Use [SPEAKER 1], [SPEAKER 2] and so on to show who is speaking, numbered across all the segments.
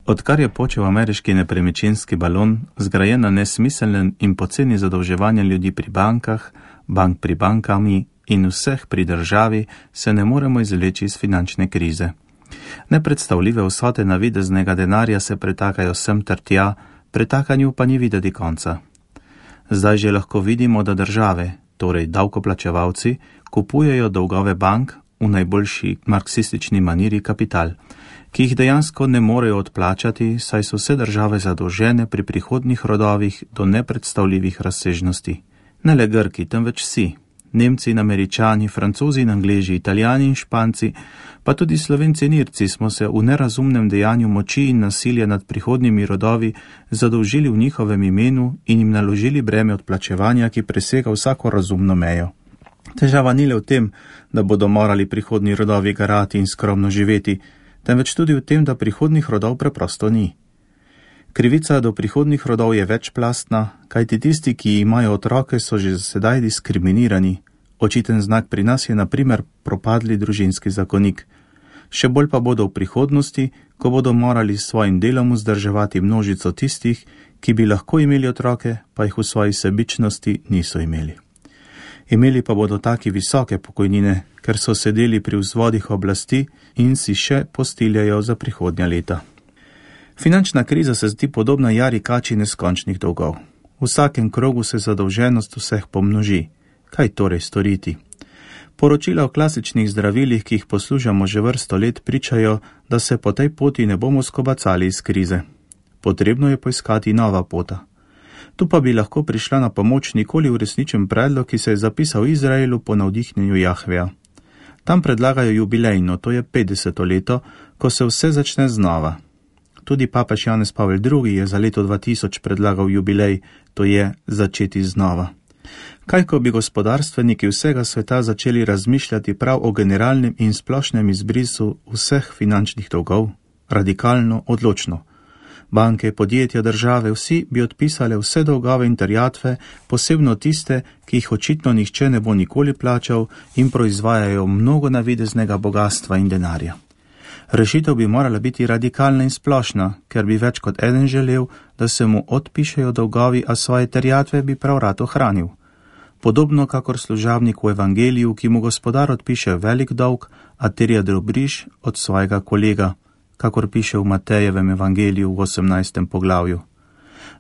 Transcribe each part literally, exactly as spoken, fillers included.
[SPEAKER 1] Odkar je počel ameriški nepremičninski balon, zgrajen na nesmiselnem in poceni zadolževanje ljudi pri bankah, bank pri bankami in vseh pri državi, se ne moremo izvleči iz finančne krize. Nepredstavljive vsote navideznega denarja se pretakajo sem ter tja, pretakanju pa ni videti konca. Zdaj že lahko vidimo, da države, torej davkoplačevalci, kupujejo dolgove bank, v najboljši marksistični maniri kapital, ki jih dejansko ne morejo odplačati, saj so vse države zadolžene pri prihodnjih rodovih do nepredstavljivih razsežnosti. Ne le Grki, temveč vsi. Nemci in Američani, Francozi in Angleži, Italijani in Španci, pa tudi Slovenci in Irci smo se v nerazumnem dejanju moči in nasilja nad prihodnjimi rodovi zadolžili v njihovem imenu in jim naložili breme odplačevanja, ki presega vsako razumno mejo. Težava ni le v tem, da bodo morali prihodnji rodovi garati in skromno živeti, temveč tudi v tem, da prihodnjih rodov preprosto ni. Krivica do prihodnjih rodov je večplastna, kajti tisti, ki imajo otroke, so že sedaj diskriminirani. Očiten znak pri nas je na primer propadli družinski zakonik. Še bolj pa bodo v prihodnosti, ko bodo morali s svojim delom vzdrževati množico tistih, ki bi lahko imeli otroke, pa jih v svoji sebičnosti niso imeli. Imeli pa bodo taki visoke pokojnine, ker so sedeli pri vzvodih oblasti in si še postiljajo za prihodnja leta. Finančna kriza se zdi podobna jari kači neskončnih dolgov. V vsakem krogu se zadolženost vseh pomnoži. Kaj torej storiti? Poročila o klasičnih zdravilih, ki jih poslušamo že vrsto let, pričajo, da se po tej poti ne bomo skobacali iz krize. Potrebno je poiskati nova pota. Tu pa bi lahko prišla na pomoč nikoli uresničen predlog, ki se je zapisal v Izraelu po navdihnjenju Jahveja. Tam predlagajo jubilejno, to je petdeseto leto, ko se vse začne znova. Tudi papež Janez Pavel drugi je za leto dva tisoč predlagal jubilej, to je začeti znova. Kaj, ko bi gospodarstveniki vsega sveta začeli razmišljati prav o generalnem in splošnem izbrisu vseh finančnih dolgov? Radikalno, odločno. Banke, podjetja, države, vsi bi odpisale vse dolgove in terjatve, posebno tiste, ki jih očitno nihče ne bo nikoli plačal in proizvajajo mnogo navideznega bogatstva in denarja. Rešitev bi morala biti radikalna in splošna, ker bi več kot eden želel, da se mu odpišejo dolgovi, a svoje terjatve bi prav rad ohranil. Podobno kakor služabnik v evangeliju, ki mu gospodar odpiše velik dolg, a terja drobiž od svojega kolega, kakor piše v Matejevem evangeliju v osemnajstem poglavju.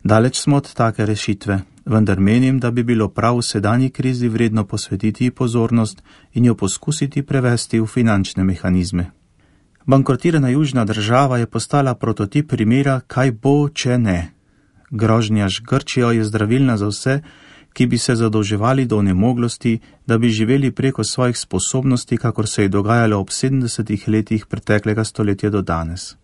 [SPEAKER 1] Daleč smo od take rešitve, vendar menim, da bi bilo prav v sedanji krizi vredno posvetiti pozornost in jo poskusiti prevesti v finančne mehanizme. Bankrotirana južna država je postala prototip primera, kaj bo, če ne. Grožnja z Grčijo je zdravilna za vse, ki bi se zadolževali do onemoglosti, da bi živeli preko svojih sposobnosti, kakor se je dogajalo ob sedemdesetih letih preteklega stoletja do danes.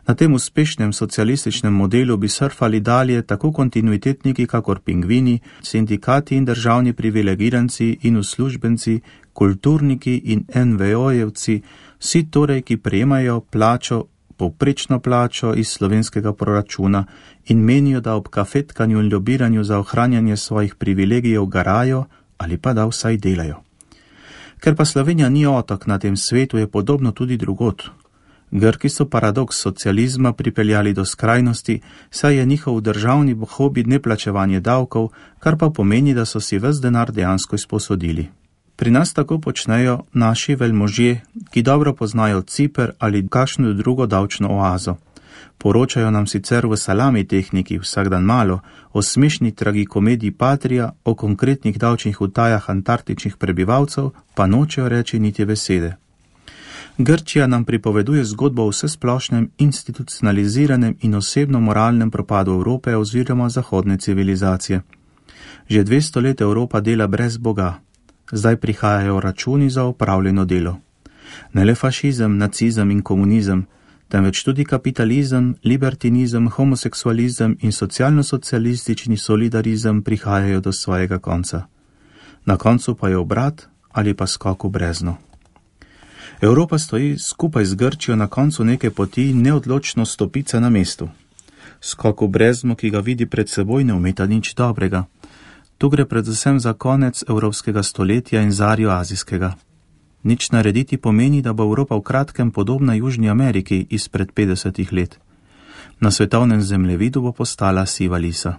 [SPEAKER 1] Na tem uspešnem socialističnem modelu bi surfali dalje tako kontinuitetniki, kakor pingvini, sindikati in državni privilegiranci in uslužbenci, kulturniki in en ve o-jevci, vsi torej, ki prejemajo plačo, povprečno plačo iz slovenskega proračuna in menijo, da ob kafetkanju in lobiranju za ohranjanje svojih privilegijev garajo ali pa da vsaj delajo. Ker pa Slovenija ni otok na tem svetu, je podobno tudi drugod. Grki so paradoks socializma pripeljali do skrajnosti, saj je njihov državni hobi neplačevanje davkov, kar pa pomeni, da so si ves denar dejansko izposodili. Pri nas tako počnejo naši velmožje, ki dobro poznajo Ciper ali kakšno drugo davčno oazo. Poročajo nam sicer v salami tehniki vsak dan malo, o smešni tragikomediji Patria, o konkretnih davčnih utajah antarktičnih prebivalcev, pa nočejo reči niti besede. Grčija nam pripoveduje zgodbo o vsesplošnem institucionaliziranem in osebno moralnem propadu Evrope oziroma zahodne civilizacije. Že dvesto let Evropa dela brez Boga. Zdaj prihajajo računi za opravljeno delo. Ne le fašizem, nacizem in komunizem, temveč tudi kapitalizem, libertinizem, homoseksualizem in socialno-socialistični solidarizem prihajajo do svojega konca. Na koncu pa je obrat ali pa skok v brezno. Evropa stoji skupaj z Grčijo na koncu neke poti neodločno stopica na mestu. Skok v brezno, ki ga vidi pred seboj, ne ometa nič dobrega. Tu gre predvsem za konec evropskega stoletja in zarjo azijskega. Nič narediti pomeni, da bo Evropa v kratkem podobna Južni Ameriki izpred petdesetih let. Na svetovnem zemljevidu bo postala siva lisa.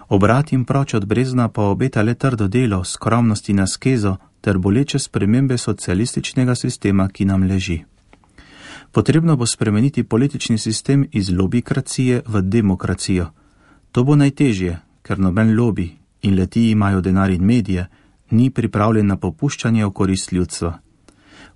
[SPEAKER 1] Obrat in proč od brezna pa obeta le trdo delo, skromnost in askezo ter boleče spremembe socialističnega sistema, ki nam leži. Potrebno bo spremeniti politični sistem iz lobikracije v demokracijo. To bo najtežje, ker noben lobi in leti imajo denar in medije, ni pripravljen na popuščanje v korist ljudstva.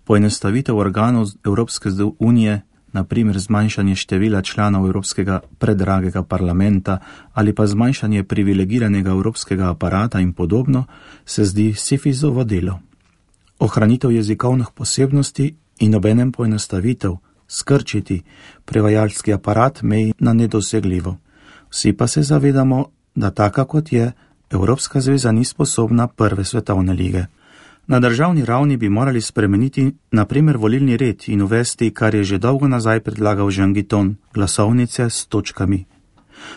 [SPEAKER 1] Poenostavitev organov Evropske unije, na primer zmanjšanje števila članov Evropskega predragega parlamenta ali pa zmanjšanje privilegiranega evropskega aparata in podobno, se zdi Sifizovo delo. Ohranitev jezikovnih posebnosti in obenem poenostavitev, skrčiti prevajalski aparat meji na nedosegljivo. Vsi pa se zavedamo, da taka kot je, Evropska zveza ni sposobna prve svetovne lige. Na državni ravni bi morali spremeniti na primer volilni red in uvesti, kar je že dolgo nazaj predlagal Jean Guiton, glasovnice s točkami.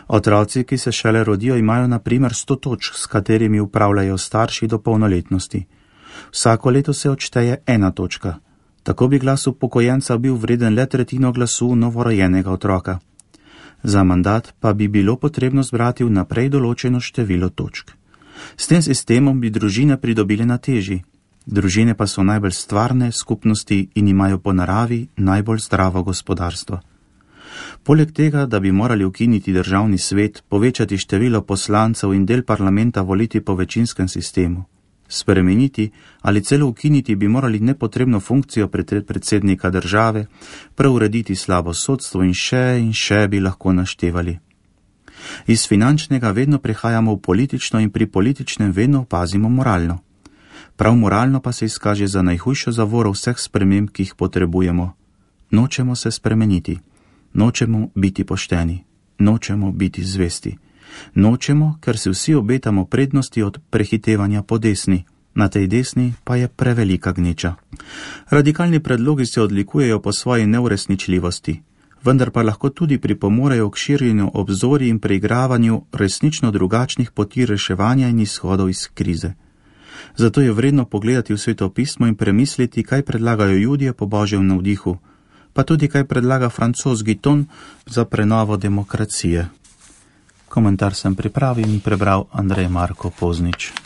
[SPEAKER 1] Otroci, ki se šele rodijo, imajo na primer sto točk, s katerimi upravljajo starši do polnoletnosti. Vsako leto se odšteje ena točka. Tako bi glas upokojenca bil vreden le tretjino glasu novorojenega otroka. Za mandat pa bi bilo potrebno zbrati vnaprej določeno število točk. S tem sistemom bi družine pridobile na teži. Družine pa so najbolj stvarne skupnosti in imajo po naravi najbolj zdravo gospodarstvo. Poleg tega, da bi morali ukiniti državni svet, povečati število poslancev in del parlamenta voliti po večinskem sistemu. Spremeniti ali celo ukiniti bi morali nepotrebno funkcijo predsednika države, preurediti slabo sodstvo in še in še bi lahko naštevali. Iz finančnega vedno prehajamo v politično in pri političnem vedno opazimo moralno. Prav moralno pa se izkaže za najhujšo zavoro vseh sprememb, ki jih potrebujemo. Nočemo se spremeniti, nočemo biti pošteni, nočemo biti zvesti. Nočemo, ker se vsi obetamo prednosti od prehitevanja po desni, na tej desni pa je prevelika gneča. Radikalni predlogi se odlikujejo po svoji neuresničljivosti, vendar pa lahko tudi pripomorejo k širjenju obzorij in preigravanju resnično drugačnih poti reševanja in izhodov iz krize. Zato je vredno pogledati v svetopismo in premisliti, kaj predlagajo Judje po Božjem navdihu, pa tudi kaj predlaga Francoz Guiton za prenovo demokracije. Komentar sem pripravil in prebral Andrej Marko Poznič.